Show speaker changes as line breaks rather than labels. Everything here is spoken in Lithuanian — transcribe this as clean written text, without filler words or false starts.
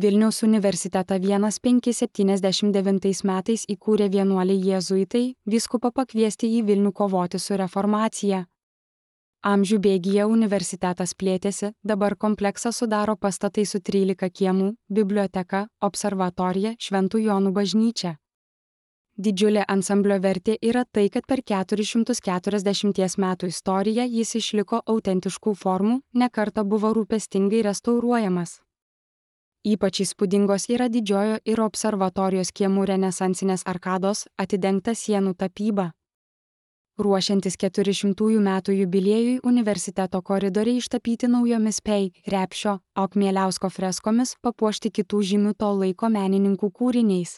Vilniaus universitetą 1579 metais įkūrė vienuoliai jėzuitai, vyskupą pakviesti į Vilnių kovoti su reformacija. Amžių bėgyje universitetas plėtėsi, dabar kompleksą sudaro pastatai su 13 kiemų, biblioteka, observatorija, Šventų Jonų bažnyčia. Didžiulė ansamblio vertė yra tai, kad per 440 metų istoriją jis išliko autentiškų formų, ne kartą buvo rūpestingai restauruojamas. Ypač įspūdingos yra didžiojo ir observatorijos kiemų renesansinės arkados, atidengta sienų tapyba. Ruošiantis 400 metų jubiliejui universiteto koridoriai ištapyti naujomis Pei, Repšio, Akmieliausko freskomis, papuošti kitų žymių to laiko menininkų kūriniais.